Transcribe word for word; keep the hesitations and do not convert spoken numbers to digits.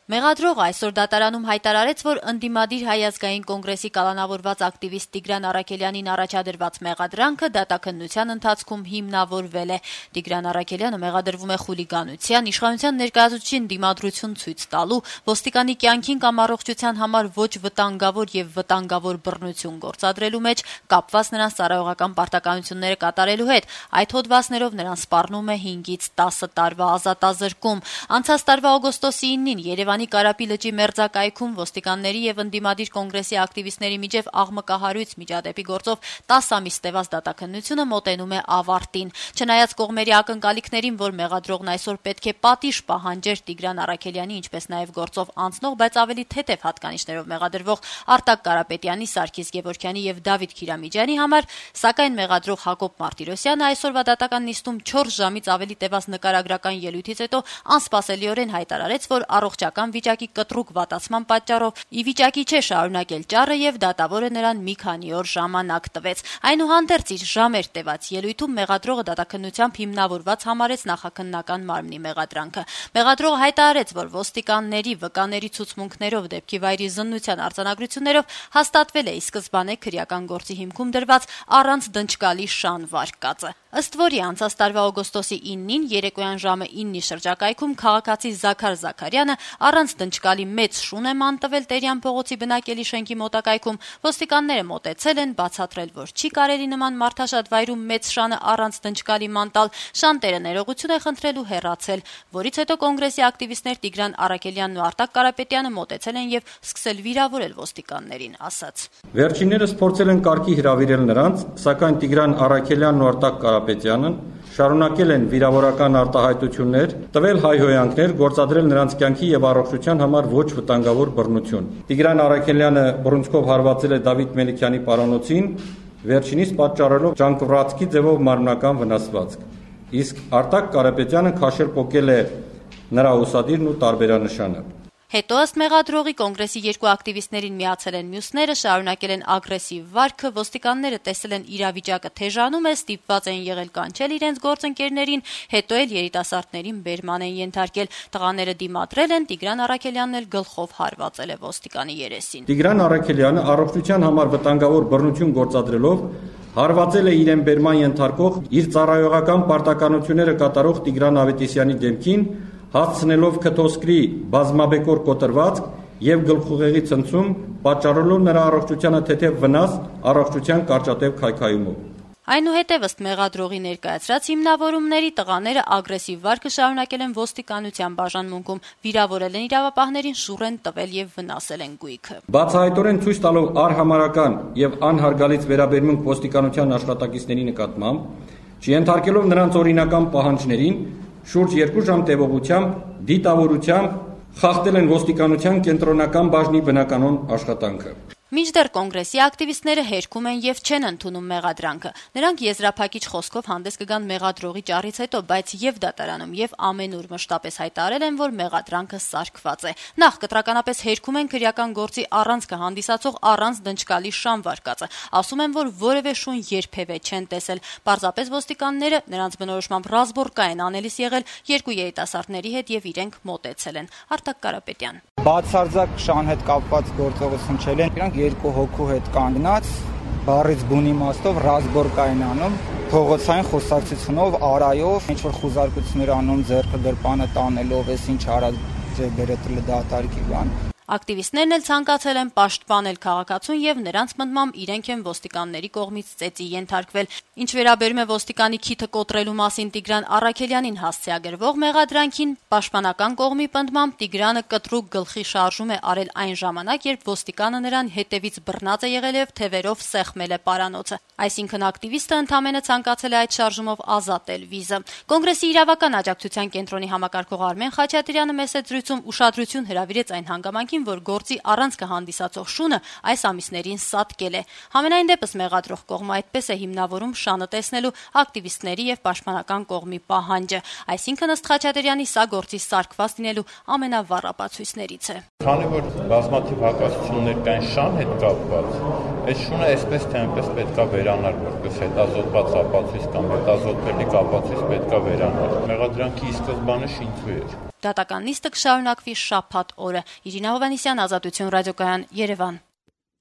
Մեղադրողը այսօր դատարանում հայտարարեց, որ ընդդիմադիր Հայ ազգային կոնգրեսի կալանավորված ակտիվիստ Տիգրան Առաքելյանին առաջադրված մեղադրանքը դատաքննության ընթացքում հիմնավորվել է։ Տիգրան Առաքելյանը մեղադրվում է խուլիգանության, իշխանության ներկայացուցչին դիմադրություն ցույց տալու, ոստիկանի կյանքին կամ առողջության համար ոչ վտանգավոր եւ վտանգավոր բռնություն գործադրելու մեջ, կապված նրանց ծառայողական պարտականությունները կատարելու հետ։ Այդ հոդվածներով նրան սպառնում է հինգից տասը տարվա ազատազրկում։ Անցած տարվա օգոստոսի իննին Երևանի Կարապի լճի մերձակայքում ոստիկանների եւ ընդդիմադիր կոնգրեսի ակտիվիստների միջև աղմկահարույց միջադեպի գործով տասը ամիս տևած դատաքննությունը մոտենում է ավարտին։ Չնայած կողմերի ակնկալիքներին, որ մեղադրողն այսօր պետք է պատիժ պահանջեր Տիգրան Առաքելյանի, ինչպես նաեւ գործով անցնող, բայց ավելի թեթև հատկանիշներով մեղադրվող Արտակ Կարապետյանի, Սարգիս Գևորգյանի եւ Դավիթ Քիրամիջյանի համար, սակայն մեղադրող Հակոբ Մարտիրոսյանը այսօրվա դատական նիստում չորս ժամից ավելի տևած նկարագրական ելույթից հետո անսպասելիորեն հայտարարեց, որ առողջական վիճակի կտրուկ վատացման պատճառով ի վիճակի չէ շարունակել ճառը եւ դատավորը նրան մի քանի օր ժամանակ տվեց։ Այնուհանդերձ իր ժամեր տևած ելույթում մեղադրողը դատաքննությամբ հիմնավորված համարեց նախաքննական մարմնի մեղադրանքը։ Մեղադրողը հայտարարեց, որ ոստիկանների վկաների ցուցմունքներով դեպքի վայրի զննության արձանագրություններով հաստատվել է ի սկզբանե քրեական գործի հիմքում դրված առանց դնչկալի շան վարկածը։ Ըստ որի անցած տարվա օգոստոսի իննին երեկոյան ժամը իննի շրջակայքում քաղաքացի Զաքար Զաքարյանը առանց դնչկալի մեծ շուն է ման տվել Տերյան փողոցի բնակելի շենքի մոտակայքում։ Ոստիկանները մոտեցել են, բացատրել, որ չի կարելի նման մարդաշատ վայրում մեծ շանը առանց դնչկալի ման տալ։ Շանտերը ներողություն է խնդրել ու հեռացել, որից հետո կոնգրեսի ակտիվիստներ Տիգրան Առաքելյանն ու Արտակ Կարապետյանը մոտեցել են եւ սկսել վիրավորել ոստիկաններին, ասաց. Վերջիններս փորձել են կարգի հրավիրել նրանց, սակայն Տիգրան Առաքելյանն ու Արտակ Կարապետյանը շարունակել են վիրավորական արտահայտություններ, տվել հայհոյանքներ, գործադրել նրանց կյանքի եւ առողջության համար ոչ վտանգավոր բռնություն։ Տիգրան Առաքելյանը բռունցքով հարվածել է Դավիթ Մելիքյանի պարանոցին, վերջինիս պատճառելով ճանկռացքի ձևով մարմնական վնասվածք։ Իսկ Արտակ Կարապետյանը քաշել պոկել է նրա ուսադիրն ու տարբերանշանը։ Հետո ըստ մեղադրողի կոնգրեսի երկու ակտիվիստներին միացել են մյուսները, շարունակել են ագրեսիվ վարքը, ոստիկանները տեսել են իրավիճակը թեժանում է, ստիպված են եղել կանչել իրենց գործընկերներին, հետո էլ երիտասարդներին բերման են ենթարկել։ Տղաները դիմադրել են, Տիգրան Առաքելյանն էլ գլխով հարվածել է ոստիկանի երեսին։ Տիգրան Առաքելյանը առողջության համար վտանգավոր բռնություն գործադրելով հարվածել է իրեն բերման ենթարկող իր ծառայողական պարտականությունները կատարող Տիգրան Ավետիսյանի դեմքին, հասցնելով քթոսկրի բազմաբեկոր կոտրվածք եւ գլխուղեղի ցնցում, պատճառելով նրա առողջությանը թեթև վնաս առողջության կարճատև քայքայումով։ Այնուհետև ըստ մեղադրողի ներկայացրած հիմնավորումների տղաները ագրեսիվ վարքը շարունակել են ոստիկանության բաժանմունքում, վիրավորել են իրավապահներին, շուռ են տվել եւ վնասել են գույքը։ Բացահայտորեն ցույց տալով արհամարական եւ անհարգալից վերաբերմունք ոստիկանության աշխատակիցների նկատմամբ, չենթարկելով նրանց օրինական պահանջներին, շուրջ երկու ժամ տևողությամբ դիտավորությամբ խախտել են ոստիկանության կենտրոնական բաժնի բնականոն աշխատանքը։ Մինչդեռ կոնգրեսի ակտիվիստները հերքում են եւ չեն ընդունում մեղադրանքը։ Նրանք եզրափակիչ խոսքով հանդես կգան մեղադրողի ճառից հետո, բայց եւ դատարանում եւ ամենուր մշտապես հայտարարել են, որ մեղադրանքը սարկված է։ Նախ կտրականապես հերքում են քրեական գործի առանցքը հանդիսացող առանց դնչկալի շան վարկածը։ Ասում են, որ որևէ շուն երբևէ չեն տեսել։ Պարզապես ոստիկանները նրանց բնորոշմամբ ռազմորկա են անելիս եղել երկու երիտասարդների հետ եւ իրենք մոտեցել են։ Արտակ Կարապետյան. Բացարձակ շան հետ կապված գործողություն չել են, իրանք երկու հոգու հետ կանգնած, բառից բուն իմաստով ռազմորկա են անում, փողոցային խոսակցությունով, արայով, ինչ որ խուզարկություններ անում, ձեռքը գրպանը տանելով, էս ինչ արած բերետել դատարքի բան։ Ակտիվիստներն էլ ցանկացել են պաշտպանել քաղաքացուն եւ նրանց մտմամբ իրենք են ոստիկանների կողմից ծեծի ենթարկվել։ Ինչ վերաբերում է ոստիկանի քիթը կոտրելու մասին Տիգրան Առաքելյանին հասցեագրվող մեղադրանքին, պաշտպանական կողմի պնդմամբ Տիգրանը կտրուկ գլխի շարժում է արել այն ժամանակ, երբ ոստիկանը նրան հետևից բռնած է եղել եւ թևերով սեղմել է պարանոցը։ Այսինքն ակտիվիստը ընդամենը ցանկացել է այդ շարժումով ազատել վիզը։ Կոնգրեսի իրավական աջակցության կենտրոնի համակարգող Արմեն Խաչատրյանը մեծ զրույցում ուշադրություն հրավիրեց այն հանգամանքին, որ գործի առանցքը հանդիսացող շունը այս ամիսներին սատկել է։ Համենայն դեպս մեղադրող կողմը այդպես է հիմնավորում շանը տեսնելու ակտիվիստների եւ պաշտպանական կողմի պահանջը։ Այսինքն ըստ Խաչատրյանի սա գործի սարկված լինելու ամենավառ ապացույցներից է։ Քանի որ բազմաթիվ հակասություններ կան շան հետ կապված, այս շունը այսպես թե այնպես պետք է վերանալ, որպես հետազոտված ապացույց կամ հետազոտվելիք ապացույց պետք է վերանալ։ Մեղադրանքի ի սկզբանե շինծու էր։ Դատական նիստը կշարունակվի շաբաթ օրը։ Իրինա Հովհաննիսյան, Ազատություն ռադիոկայան, Երևան։